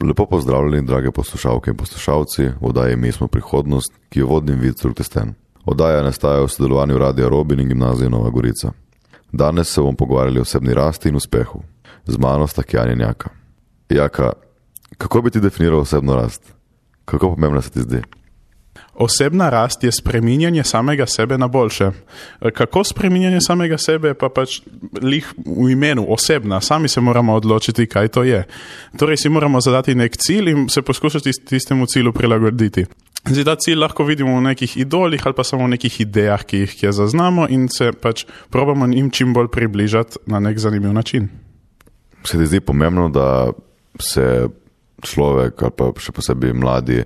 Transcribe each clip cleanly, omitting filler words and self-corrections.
Lepo pozdravljeni, drage poslušalke in poslušalci, v oddaji Mi smo prihodnost, ki jo vodim Vicruk Testen. Oddaja nastaja v sodelovanju Radia Robin in Gimnazije Nova Gorica. Danes se bomo pogovarjali o osebni rasti in uspehu. Z mano sta Kjan in Jaka. Jaka, kako bi ti definiral osebno rast? Kako pomembna se ti zdi? Osebna rast je spreminjanje samega sebe na boljše. Kako spreminjanje samega sebe, pa pač lih v imenu osebna. Sami se moramo odločiti, kaj to je. Torej si moramo zadati nek cilj in se poskušati tistemu cilju prilagoditi. Zdaj, ta cilj lahko vidimo v nekih idolih ali pa samo v nekih idejah, ki jih zaznamo in se pač probamo njim čim bolj približati na nek zanimiv način. Se ti zdi pomembno, da se človek ali pa še posebej mladi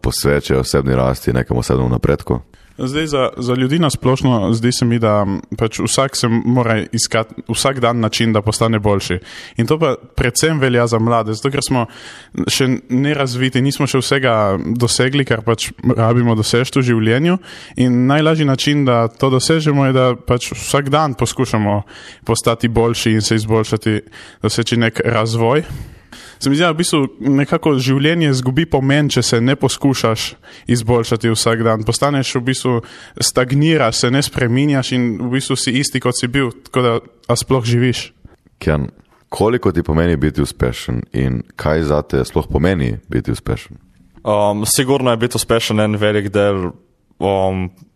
posvečajo osebni rasti nekemu osebnemu napredku? Zdaj, za ljudi nasplošno zdi se mi, da pač vsak se mora iskati vsak dan način, da postane boljši. In to pa predvsem velja za mlade, zato ker smo še nerazviti, nismo še vsega dosegli, kar pač rabimo doseči v življenju. In najlažji način, da to dosežemo, je, da pač vsak dan poskušamo postati boljši in se izboljšati, doseči nek razvoj. Se mi zdi, da v bistvu nekako življenje zgubi pomen, če se ne poskušaš izboljšati vsak dan. Postaneš v bistvu, stagniraš, se ne spreminjaš in v bistvu si isti, kot si bil, tako da sploh živiš. Kjan, koliko ti pomeni biti uspešen in kaj zate sploh pomeni biti uspešen? Sigurno je biti uspešen en velik del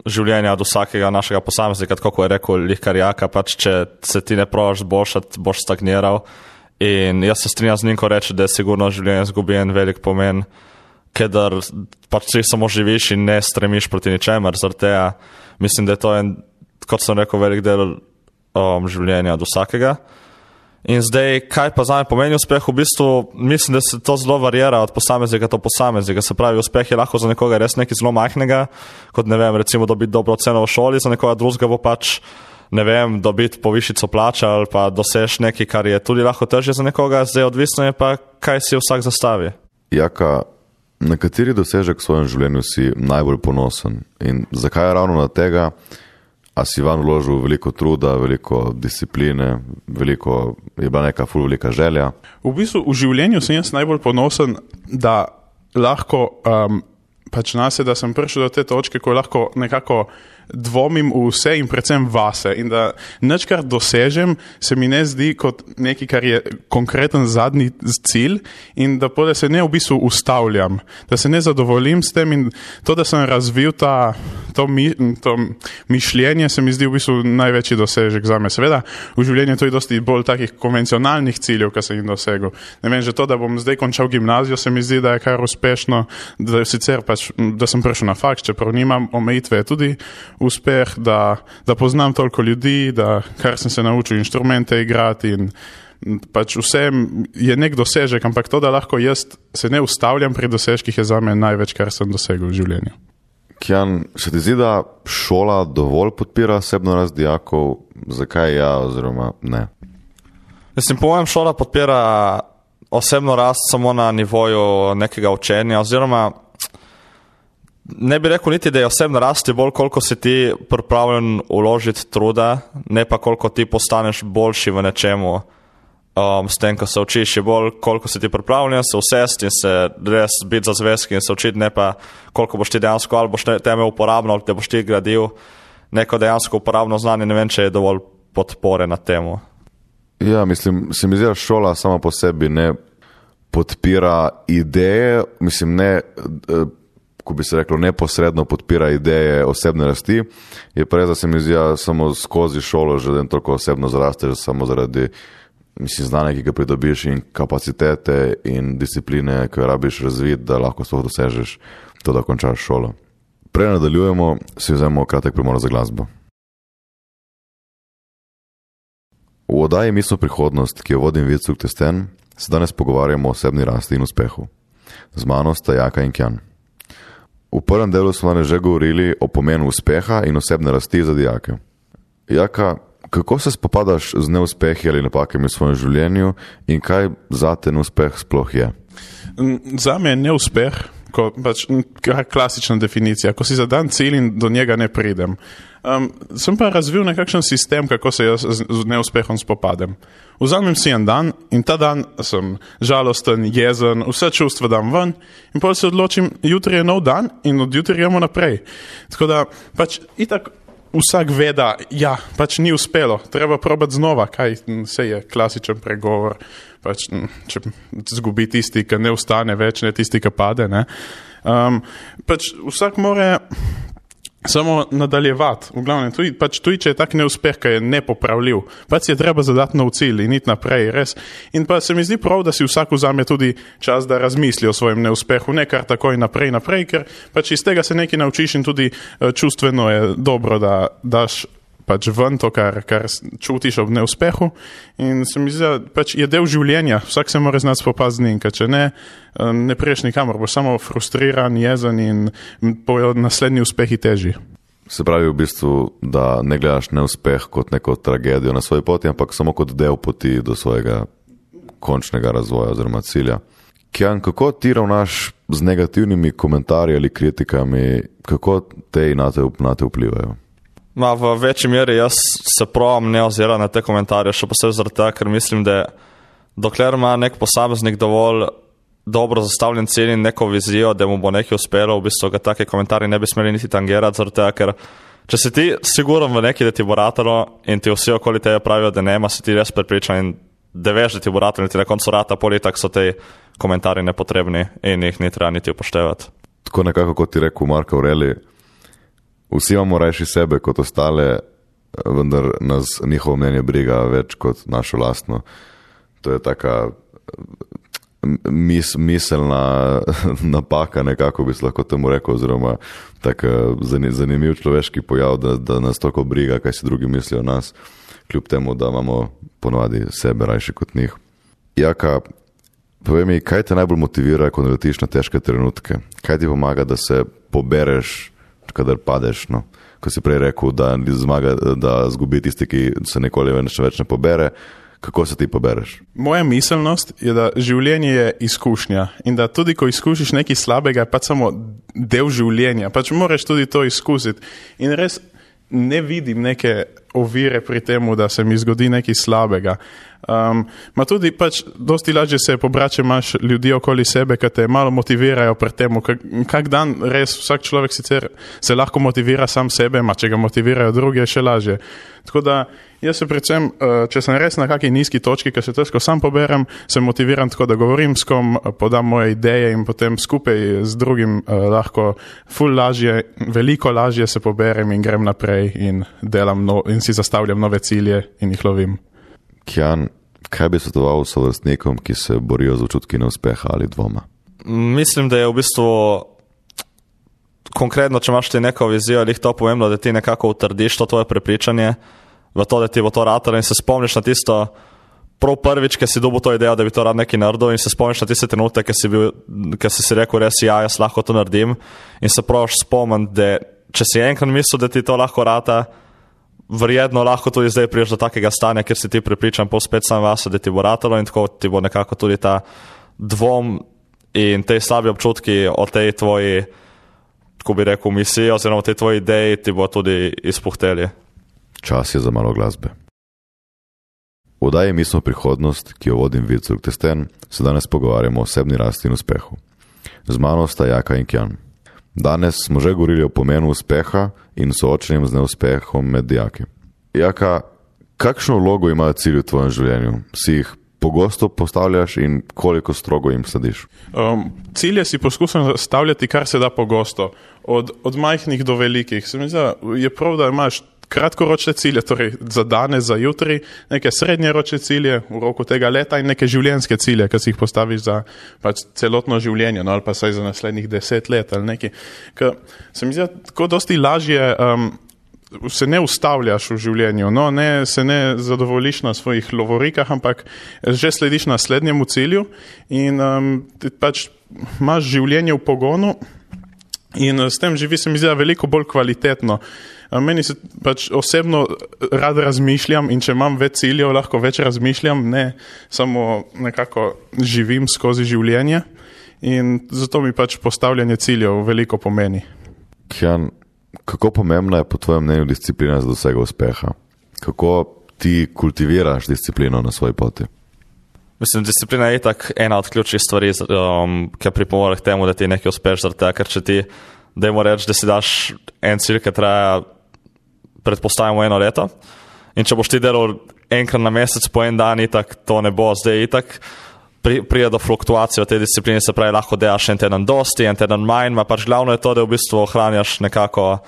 življenja od vsakega našega posameznika, kako je rekel Lihkar Jaka, pač če se ti ne probaš boljšati, boš stagniral. In jaz se strinjam z njim, ko reče, da je sigurno življenje zgubi en velik pomen, ker pač si samo živiš in ne stremiš proti ničemer. Zaradi tega mislim, da je to en, kot sem rekel, velik del življenja od vsakega. In zdaj, kaj pa zame pomeni uspeh? V bistvu mislim, da se to zelo varira od posameznika do posameznika. Se pravi, uspeh je lahko za nekoga res nekaj zelo majhnega, kot ne vem, recimo dobiti dobro oceno v šoli, za nekoga drugega bo pač ne vem, dobiti povišico plača ali pa dosež nekaj, kar je tudi lahko težje za nekoga, zdaj odvisno je pa, kaj si vsak zastavi. Jaka, na kateri dosežek v svojem življenju si najbolj ponosen in zakaj ravno na tega? A si van vložil veliko truda, veliko discipline, je bila neka velika želja? V bistvu v življenju sem jaz najbolj ponosen, da lahko pač nase, da sem prišel do te točke, ko lahko nekako dvomim v vse in predvsem vase in da nič, kar dosežem, se mi ne zdi kot nekaj, kar je konkreten zadnji cilj in da pole se ne v bistvu ustavljam, da se ne zadovoljim s tem in to, da sem razvil to mišljenje, se mi zdi v bistvu največji dosežek zame. Seveda, v življenju to je dosti bolj takih konvencionalnih ciljev, kar sem jih dosegel. Ne vem, že to, da bom zdaj končal gimnazijo, se mi zdi, da je kar uspešno, da sicer pač, da sem prišel na faks, čeprav nimam omejitve, tudi uspeh, da poznam toliko ljudi, da kar sem se naučil inštrumente igrati in pač vse je nek dosežek, ampak to, da lahko jaz se ne ustavljam pri dosežkih, je za me največ, kar sem dosegel v življenju. Kjan, se ti zdi, da šola dovolj podpira osebno rast dijakov? Zakaj ja oziroma ne? Mislim, po mojem šola podpira osebno rast samo na nivoju nekega učenja oziroma ne bi rekel niti, da je osebna rast bolj, koliko si ti pripravljen uložiti truda, ne pa koliko ti postaneš boljši v nečemu s tem, ko se učiš, je bolj, koliko si ti pripravljen se usesti in se res biti za zvezki in se učiti, ne pa koliko boš ti dejansko, ali boš teme uporabno, ali te boš ti gradil neko dejansko uporabno znanje, ne vem, če je dovolj podpore na temu. Ja, mislim, se mi zdi, da šola sama po sebi ne podpira ideje, mislim, ne ko bi se reklo, neposredno podpira ideje osebne rasti, je pa res, da se mi zdi, samo skozi šolo že toliko osebno zrasteš, samo zaradi znanja, ki ga pridobiš in kapacitete in discipline, ki jo rabiš razviti, da lahko sploh dosežeš to, da končaš šolo. Prej nadaljujemo, si vzemimo kratek premor za glasbo. V oddaji Mi smo prihodnost, ki jo vodim Vicruk Testen, se danes pogovarjamo o osebni rasti in uspehu. Z mano sta Jaka in Kjan. V prvem delu smo že govorili o pomenu uspeha in osebne rasti za dijake. Jaka, kako se spopadaš z neuspehi ali napakami v svojem življenju in kaj zate neuspeh sploh je? Zame je neuspeh klasična definicija, ko si zadan cilj in do njega ne pridem. Sem pa razvil nekakšen sistem, kako se jaz z neuspehom spopadem. Vzamem si en dan in ta dan sem žalosten, jezen, vse čustva dam ven in potem se odločim, jutri je nov dan in od jutri gremo naprej. Tako da pač itak vsak ve, da ja, pač ni uspelo, treba probati znova, kaj se je klasičen pregovor, pač če zgubi tisti, ki ne ustane več, ne tisti, ki pade, ne. Pač vsak more samo nadaljevati, v glavnem, tudi če je tak neuspeh, ki je nepopravljiv, pač je treba zadati nov cilj in iti naprej, res. In pa se mi zdi prav, da si vsak vzame tudi čas, da razmisli o svojem neuspehu, ne kar takoj naprej, ker pač iz tega se nekaj naučiš in tudi čustveno je dobro, da daš pač ven to, kar čutiš ob neuspehu in se mi zdi, da pač je del življenja, vsak se mora znati spopasti z njim, ker če ne priješ nikamor, boš samo frustriran, jezen in bojo naslednji uspehi težji. Se pravi v bistvu, da ne gledaš neuspeh kot neko tragedijo na svoji poti, ampak samo kot del poti do svojega končnega razvoja oziroma cilja. Kjan, kako ti ravnaš z negativnimi komentarji ali kritikami, kako te nate vplivajo? V večji meri jaz se probam ne ozirati na te komentarje, še posebej zaradi tega, ker mislim, da dokler ima nek posameznik dovolj dobro zastavljen cilj in neko vizijo, da mu bo nekaj uspelo, v bistvu ga take komentarji ne bi smeli niti tangirati, zaradi tega, ker če si ti siguren v neki, da ti bo ratalo in ti vsi okoli tebe pravijo, da nema, si ti res prepričan in da veš, da ti bo ratalo in ti na koncu rata, politak so te komentarji nepotrebni in jih ni treba niti upoštevati. Tako nekako, kot ti rekel Marko Aurelij, vsi imamo rajši sebe kot ostale, vendar nas njihovo mnenje briga več kot našo lastno. To je taka miselna napaka, nekako bi se lahko temu rekel, oziroma tak zanimiv človeški pojav, da nas toliko briga, kaj si drugi mislijo o nas, kljub temu, da imamo ponovadi sebe rajši kot njih. Jaka, povej mi, kaj te najbolj motivira, ko naletiš na težke trenutke? Kaj ti pomaga, da se pobereš, kadar padeš, no? Ko si prej rekel, da zgubi tisti, ki se nikoli več ne pobere, kako se ti pobereš? Moja miselnost je, da življenje je izkušnja in da tudi, ko izkušiš nekaj slabega, je pač samo del življenja, pač moraš tudi to izkusiti in res ne vidim neke ovire pri temu, da se mi zgodi nekaj slabega. Ma tudi pač dosti lažje se pobrače, imaš ljudi okoli sebe, ki te malo motivirajo pri temu, kak dan res vsak človek sicer se lahko motivira sam sebe, ma če ga motivirajo drugi, je še lažje. Tako da jaz se predvsem, če sem res na kakej nizki točki, ki se težko sam poberem, se motiviram tako, da govorim s kom, podam moje ideje in potem skupaj z drugim lahko veliko lažje se poberem in grem naprej in delam in si zastavljam nove cilje in jih lovim. Kjan, kaj bi svetoval sovrstnikom, ki se borijo z občutki neuspeha ali dvoma? Mislim, da je v bistvu konkretno, če imaš ti neko vizijo, ali to pomembno, da ti nekako utrdiš to tvoje prepričanje v to, da ti bo to ratalo in se spomniš na tisto prav prvič, ki si dobil to idejo, da bi to rad nekaj naredil in se spomniš na tiste trenutke, ki si rekel res, ja, jaz lahko to naredim in se probaš spomniti, da če si enkrat mislil, da ti to lahko rata, verjetno lahko tudi zdaj priješ do takega stanja, kjer si ti prepričan pol spet sam vas, da ti bo ratalo in tako ti bo nekako tudi ta dvom in te slabi občutki o tej tvoji, tako bi rekel, misiji oziroma o tej tvoji ideji ti bo tudi izpuhteli. Čas je za malo glasbe. V oddaji Mi smo prihodnost, ki jo vodim Vicur Testen, se danes pogovarjamo o osebni rasti in uspehu. Z mano sta Jaka in Kjan. Danes smo že govorili o pomenu uspeha in soočenjem z neuspehom med dijaki. Jaka, kakšno vlogo imajo cilji v tvojem življenju? Si jih pogosto postavljaš in koliko strogo jim slediš? Cilje si poskušam stavljati kar se da pogosto, od majhnih do velikih. Se mi zdi, je prav, da imaš kratkoročne cilje, torej za danes, za jutri, neke srednjeročne cilje v roku tega leta in neke življenjske cilje, ki si jih postaviš za pač celotno življenje, no, ali pa saj za naslednjih 10 let ali nekaj. Ker se mi zdi, tako dosti lažje se ne ustavljaš v življenju, no, se ne zadovoljiš na svojih lovorikah, ampak že slediš naslednjemu cilju in pač imaš življenje v pogonu in s tem živi, se mi zdi, veliko bolj kvalitetno. Meni se pač osebno rad razmišljam in če imam več ciljev, lahko več razmišljam, ne samo nekako živim skozi življenje. in zato mi pač postavljanje ciljev veliko pomeni. Kjan, kako pomembna je po tvojem mnenju disciplina za dosego uspeha? Kako ti kultiviraš disciplino na svoji poti? Mislim, disciplina je itak ena od ključnih stvari, ki pripomore k temu, da ti nekaj uspeš, ker če ti, dajmo reči, da si daš en cilj, ki traja, predpostavimo 1 leto, in če boš ti delal enkrat na mesec po en dan, itak to ne bo, zdaj itak prije do fluktuacije v tej disciplini, se pravi, lahko delaš en teden dosti, en teden manj, pač glavno je to, da v bistvu ohranjaš nekako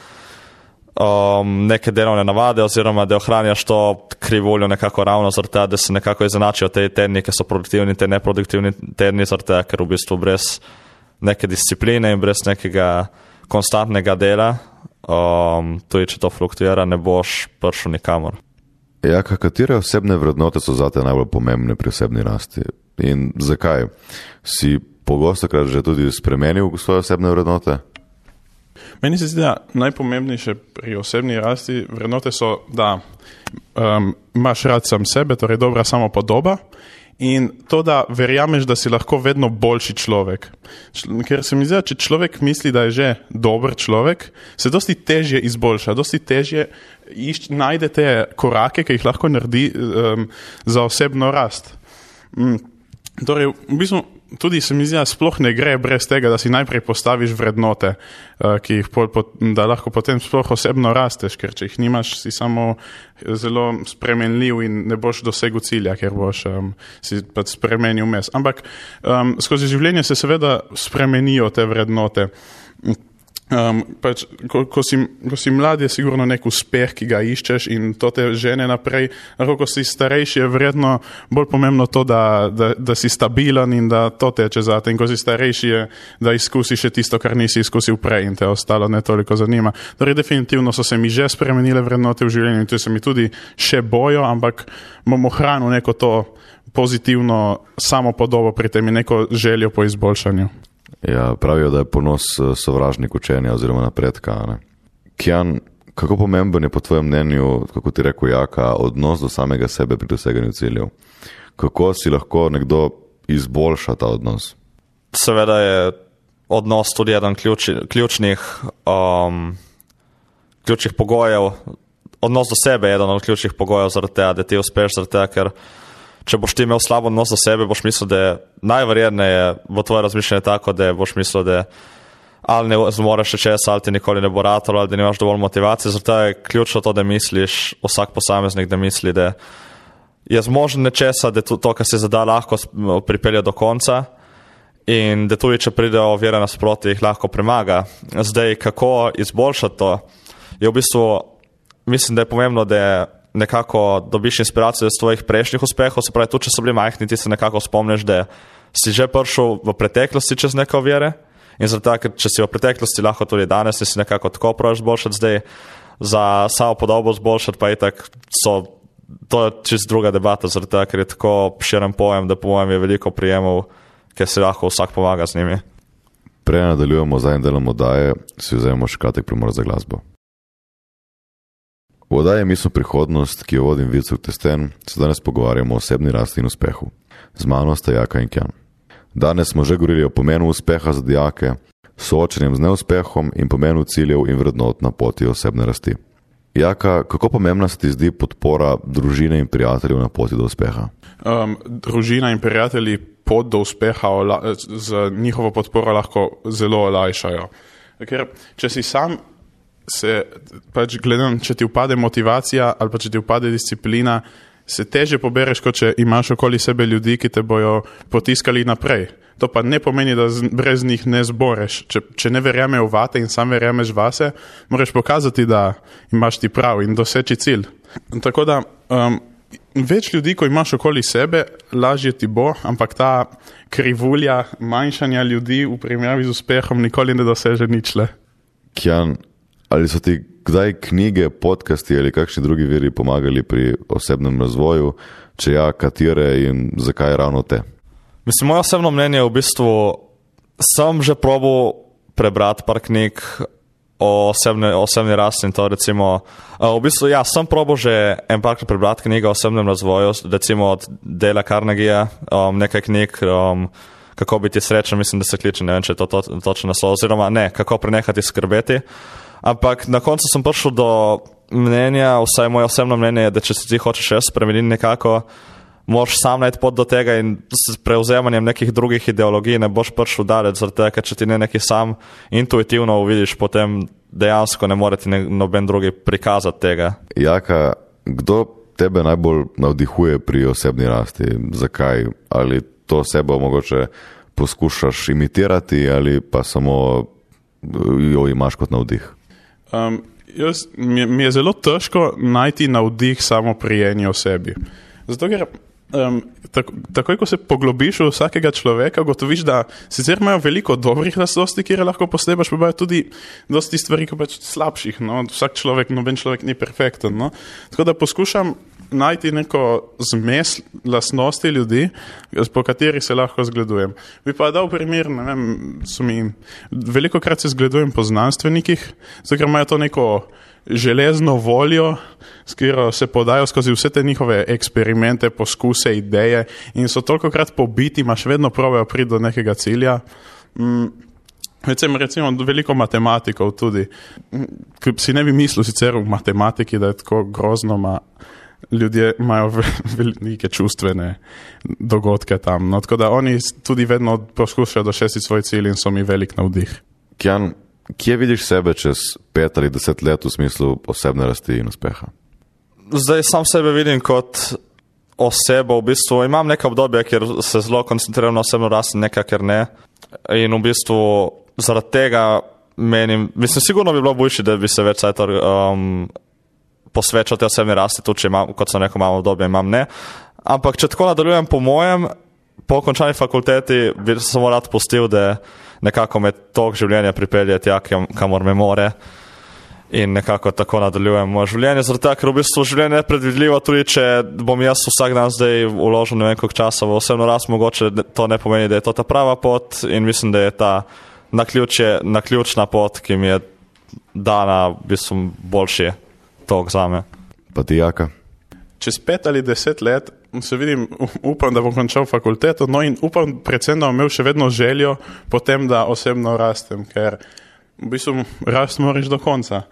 neke delovne navade, oziroma da ohranjaš to krivuljo nekako ravno zaradi tega, da se nekako izenačijo te tedni, ki so produktivni, te neproduktivni tedni, zaradi tega, ker v bistvu brez neke discipline in brez nekega konstantnega dela, tudi če to fluktuira, ne boš prišel nikamor. Ja, katere osebne vrednote so zate najbolj pomembne pri osebni rasti? In zakaj? Si pogostokrat že tudi spremenil svoje osebne vrednote? Meni se zdi, da najpomembnejše pri osebni rasti vrednote so, da imaš rad sam sebe, torej dobra samopodoba, in to, da verjameš, da si lahko vedno boljši človek. Ker se mi zdi, če človek misli, da je že dober človek, se dosti težje izboljša, dosti težje najde te korake, ki jih lahko naredi za osebno rast. Torej, v bistvu tudi se mi zdi, da sploh ne gre brez tega, da si najprej postaviš vrednote, ki jih da lahko potem sploh osebno rasteš, ker če jih nimaš, si samo zelo spremenljiv in ne boš dosegel cilja, ker boš si pač spremenil mes. Ampak skozi življenje se seveda spremenijo te vrednote. Pač, ko si mlad, je sigurno nek uspeh, ki ga iščeš in to te žene naprej. Lahko, ko si starejši, je verjetno bolj pomembno to, da si stabilen in da to teče zate. In ko si starejši, je, da izkusiš še tisto, kar nisi izkusil prej in te ostalo ne toliko zanima. Torej, definitivno so se mi že spremenile vrednote v življenju in tu se mi tudi še bojo, ampak bom ohranil neko to pozitivno samopodobo pri tem in neko željo po izboljšanju. Ja, pravijo, da je ponos sovražnik učenja oziroma napredka. Ne? Kjan, kako pomemben je po tvojem mnenju, kako ti rekel Jaka, odnos do samega sebe pri doseganju ciljev? Kako si lahko nekdo izboljša ta odnos? Seveda je odnos tudi eden ključnih pogojev. Odnos do sebe je eden od ključnih pogojev zaradi tega, da ti uspeš, zaradi tega, ker če boš ti imel slabo odnos do sebe, boš mislil, da je najverjetneje v tvoje razmišljanje tako, da boš mislil, da ali ne zmoreš še česa, ali ti nikoli ne bo ratalo, ali da nimaš dovolj motivacije. Zato je ključno to, da misliš, vsak posameznik, da misli, da je zmožen nečesa, da to, kar si zada, lahko pripelje do konca in da tudi, če pride ovire nasproti, jih lahko premaga. Zdaj, kako izboljšati to, je v bistvu, mislim, da je pomembno, da nekako dobiš inspiracijo iz tvojih prejšnjih uspehov, se pravi, tudi če so bili majhni, ti se nekako spomniš, da si že prišel v preteklosti čez neke ovire in zato, ker če si v preteklosti, lahko tudi danes si nekako tako praviš zboljšati, zdaj za samo podobo zboljšati, pa itak to je čist druga debata, zato, ker je tako širen pojem, da po mojem je veliko prijemov, ker si lahko vsak pomaga z njimi. Prej nadaljujemo zadnjim delom oddaje, si vzajemo še kratek premor za glasbo. V oddaji Misel prihodnost, ki jo vodim Vicuk Testen, se danes pogovarjamo o osebni rasti in uspehu. Z mano sta Jaka in Kjan. Danes smo že govorili o pomenu uspeha za dijake, soočenjem z neuspehom in pomenu ciljev in vrednot na poti osebne rasti. Jaka, kako pomembna se ti zdi podpora družine in prijateljev na poti do uspeha? Družina in prijatelji pot do uspeha z njihovo podporo lahko zelo olajšajo. Ker če si sam se pač gledam, če ti upade motivacija ali pa če ti upade disciplina, se teže pobereš, kot če imaš okoli sebe ljudi, ki te bojo potiskali naprej. To pa ne pomeni, da brez njih ne zboreš. Če ne verjamejo vate in sam verjameš vase, moraš pokazati, da imaš ti prav in doseči cilj. Tako da več ljudi, ko imaš okoli sebe, lažje ti bo, ampak ta krivulja manjšanja ljudi v primerjavi z uspehom nikoli ne doseže ničle. Kjan, ali so ti kdaj knjige, podcasti ali kakšni drugi viri pomagali pri osebnem razvoju, če ja, katere in zakaj ravno te? Mislim, moje osebno mnenje je v bistvu, sem že probal prebrati par knjig o osebni rasti in to recimo, v bistvu ja, sem probal že en parkrat prebrati knjigo o osebnem razvoju, recimo od Dale'a Carnegiea, nekaj knjig, kako biti srečen, mislim, da se kliče, ne vem, če je to točno naslov, oziroma ne, kako prenehati skrbeti. Ampak na koncu sem prišel do mnenja, vsaj moje osebno mnenje je, da če se ti hočeš res spremeniti nekako, moraš sam najti pot do tega in s prevzemanjem nekih drugih ideologij ne boš prišel daleč, zaradi tega, ker če ti ne neki sam intuitivno uvidiš, potem dejansko ne more ti noben drugi prikazati tega. Jaka, kdo tebe najbolj navdihuje pri osebni rasti? Zakaj? Ali to sebo mogoče poskušaš imitirati ali pa samo jo imaš kot navdih? Mi je zelo težko najti navdih samo pri eni osebi. Zato, ker takoj, ko se poglobiš v vsakega človeka, gotoviš, da sicer imajo veliko dobrih lastnosti, kjer lahko poslebaš, pa imajo tudi dosti stvari, ki pač slabših. No? Vsak človek, noben človek ni perfekten. No? Tako da poskušam najti neko zmes lastnosti ljudi, po kateri se lahko zgledujem. Bi pa dal primer, ne vem, veliko krat se zgledujem po znanstvenikih, zato ker imajo to neko železno voljo, s katero se podajo skozi vse te njihove eksperimente, poskuse, ideje in so tolikokrat pobiti, imaš vedno probejo priti do nekega cilja. Recimo veliko matematikov tudi, ki si ne bi mislil sicer v matematiki, da je tako grozno, ljudje imajo velike čustvene dogodke tam. No, tako da oni tudi vedno poskušajo doseči svoj cilj in so mi velik navdih. Kjan, kje vidiš sebe čez 5 ali 10 let v smislu osebne rasti in uspeha? Zdaj sam sebe vidim kot osebo, v bistvu imam neka obdobja, kjer se zelo koncentriram na osebno rast, nekaj, ker ne. In v bistvu zaradi tega menim, mislim, sigurno bi bilo boljše, da bi se več posvečal te osebne rasti, tudi če imam, kot sem rekel, imam obdobje, imam ne. Ampak če tako nadaljujem po mojem, po končani fakulteti bi samo rad pustil, da nekako me tok življenja pripelje tja, kamor me more in nekako tako nadaljujem moje življenje. Zaradi tega, ker v bistvu življenje je predvidljivo, tudi če bom jaz vsak dan zdaj vložil ne vem koliko časa v osebno rast, mogoče to ne pomeni, da je to ta prava pot in mislim, da je ta naključna pot, ki mi je dana v bistvu boljši tok zame. Pa ti, Jaka? Čez 5 ali 10 let se vidim, upam, da bom končal fakulteto, no in upam predvsem, da bom imel še vedno željo potem, da osebno rastem, ker v bistvu rast moraš do konca.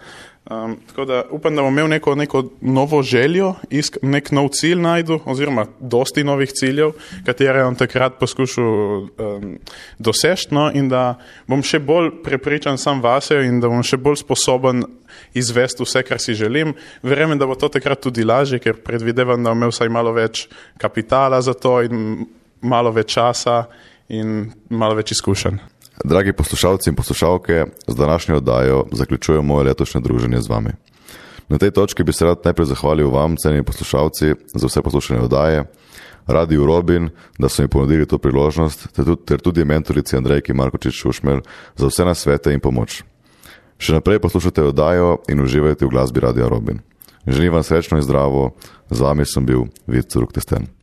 Tako da upam, da bom imel neko novo željo, nek nov cilj najdu, oziroma dosti novih ciljev, katere bom takrat poskušal doseči, no, in da bom še bolj prepričan sam vase in da bom še bolj sposoben izvesti vse, kar si želim. Verjamem, da bo to takrat tudi lažje, ker predvidevam, da bom imel vsaj malo več kapitala za to in malo več časa in malo več izkušenj. Dragi poslušalci in poslušalke, z današnjo oddajo zaključujem moje letošnje druženje z vami. Na tej točki bi se rad najprej zahvalil vam, cenjeni poslušalci, za vse poslušanje oddaje, Radiu Robin, da so mi ponudili to priložnost, ter tudi mentorici Andrejki Markočič-Šušmelj za vse nasvete in pomoč. Še naprej poslušajte oddajo in uživajte v glasbi Radia Robin. Želim vam srečno in zdravo, z vami sem bil Vid Curuk-Testen.